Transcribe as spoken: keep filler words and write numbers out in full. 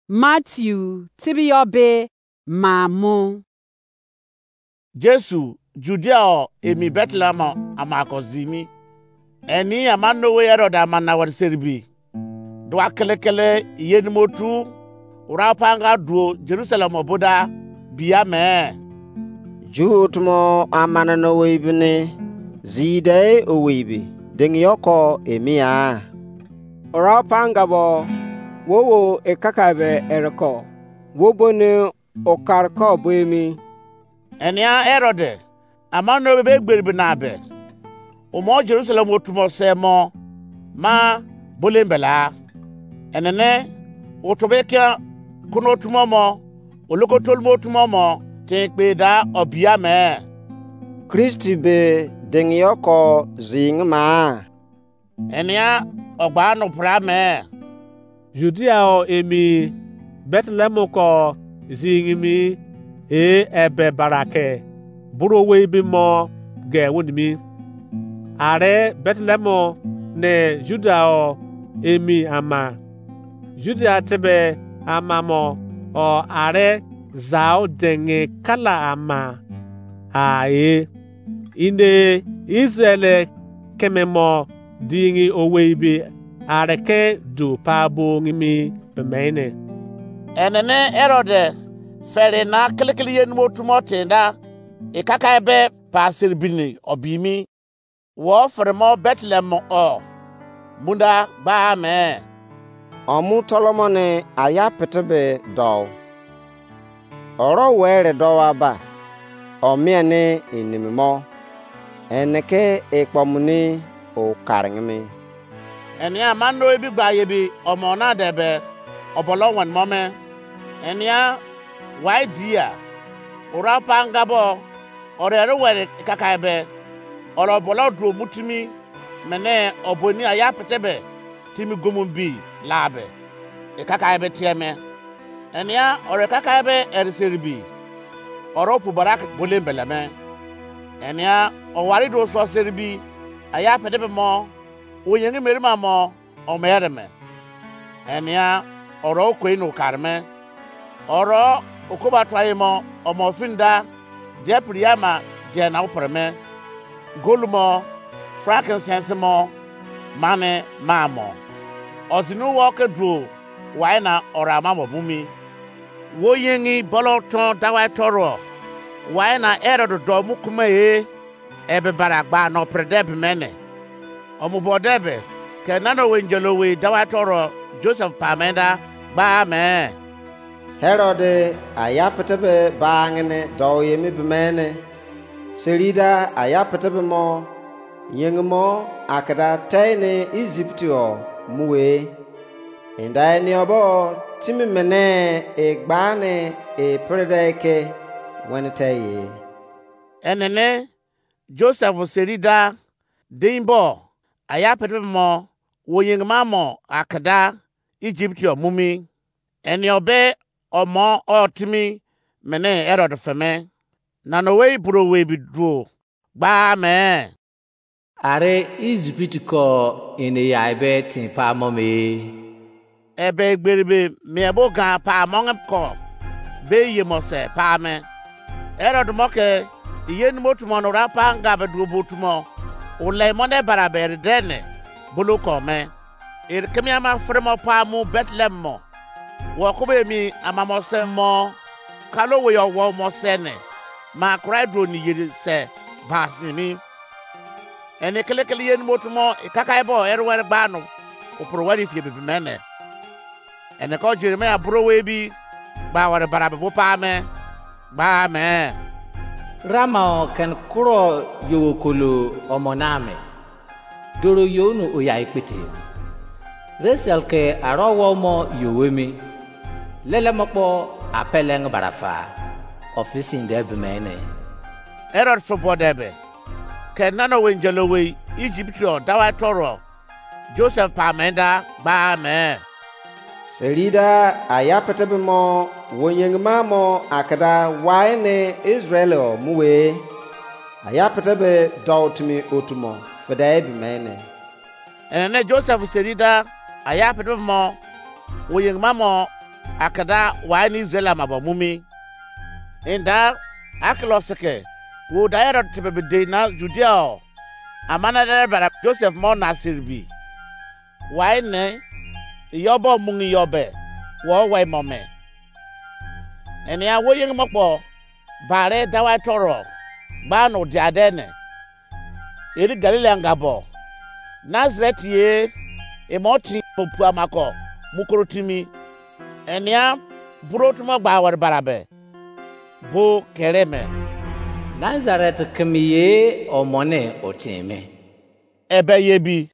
Matthew tibiyọ be maa mu. Jesu Judia o emi Bethlehem ama ko zimi. Eni ama no we Herod ama na wari seribi. Dua kelekele ye nimo tu ura panga duo Jerusalem oboda bia me. Ju otumo amane no we ibini zide owei bi dengi yoko emia. Ura panga bo wo wo ekaka be ereko wo boni okar ko bo emi. Enia Herod ama no be gberi bina be. Umo Jerusalem otumo se mo ma bolem bela. Enene otobe kia kuno otumo mo oloko tolmo otumo mo tin kpe da obia me. Kristi be dengi yoko zing ma. Enia ogba no pra me. Judia o emi Bethlehem ko zingimi e ebe barake buro we bi mo ge wonimi. Are Bethlehem ne Juda o emi ama. Juda tebe ama mo o are zao denge kala ama a e. Inde Israel keme mo dingi owei be areke du pa bo ngimi bemene. Enene Herod fere na kilikili ye numo tumo tinda ikaka ebe pa siribini obimi. Wo fere mo Bethlehem o munda gba me. Omu tolomoni aya pete be dou. Oro were dowa ba omie ni inimi mo ene ke ekpomuni o karingimi. Enia ma no ebi gba ye bi omo na de be obolo wen mo me. Enia wai dia ora pa nga bo ore ere were kaka ebe oro obolo duo mutimi mene oboni aya pete be timi gumu bi la be. Ekaka ebe tie me. Enia ore kaka ebe eri seribi oro pu barak bolem bele me. Enia owari do so seribi aya pede be mo oyengi meri ma mo omere me. Enia oro okoi no kar me. Oro okoba tuaye mo omo finda dia priama dia na upre me. Gol mo frankincense mo mane ma mo. Ozinu wo ke duo wai na ora ma mo bumi. Wo yengi bolo ton dawai toro wai na Herod do mu kuma e. Ebe bara gba no pre de be mene. Omu bo de be ke nano we njelo we dawai toro Joseph pa menda gba me. Herod aya pete be ba ngene do ye mi be mene. Serida aya pete be mo yeng mo akada tei ni Egypt o mu we. Inda eni obo timi mene e gba ni e prede ke wen te ye. Enene Joseph serida dein bo aya pete be mo wo yeng ma mo akada Egypt o mumi. Eni obe omo o timi mene Herod feme. Nano we buro we bi duo gba me. Are Egypt ko ene ya ebe tin pa mo me. Ebe egberi be mie bo gan pa mo ko be ye mo se pa me. Herod mo ke iye numo tumo no ra pa nga be duo bo tumo. Ule mo ne bara be re dene bolo ko me. Ere kemi ama fere mo pa mu Bethlehem mo. Wo ko be mi ama mo se mo kalo we yo wo mo se ne. Ma kurai duo ni yeri se ba simi. Eni kelekele ye numo tumo ikaka ebo ere were gba no oporo wari fie bibi mene. Eni ko Jeremiah buro we bi gba ware bara be bo pa me gba me. Rama o ken kuro yowo kolo omo na me. Doro yo no oya ekpete. Rachel ke aro wo mo yo we mi. Lele mo kpo apeleng barafa. Ofisin de be mene. Herod fo bo de be. Ke nano we njelo we Egypt o dawa toro. Joseph pa menda gba me. Serida aya pete be mo wo yeng ma mo akada wai ne Israel o mu we. Aya pete be dou timi otumo fede be mene. Ene ne Joseph serida aya pete be mo wo yeng ma mo akada wai ni Israel ama bo mumi. Inda Arkelus ke wo da Herod tebe be dei na Judea o, amana dere bara Joseph mo Nazir bi. Wai ne iyo bo mungi iyo be wo wai mo me. Enia wo yeng mo kpo bare dawai toro gba no dia de ne. Eri Galili anga bo Nazareth ye, emo ti opu amako mukoro timi. Enia buro tumo gba wari barabe bo kere me. Nazareth kemi ye omone otime. Ebe ye bi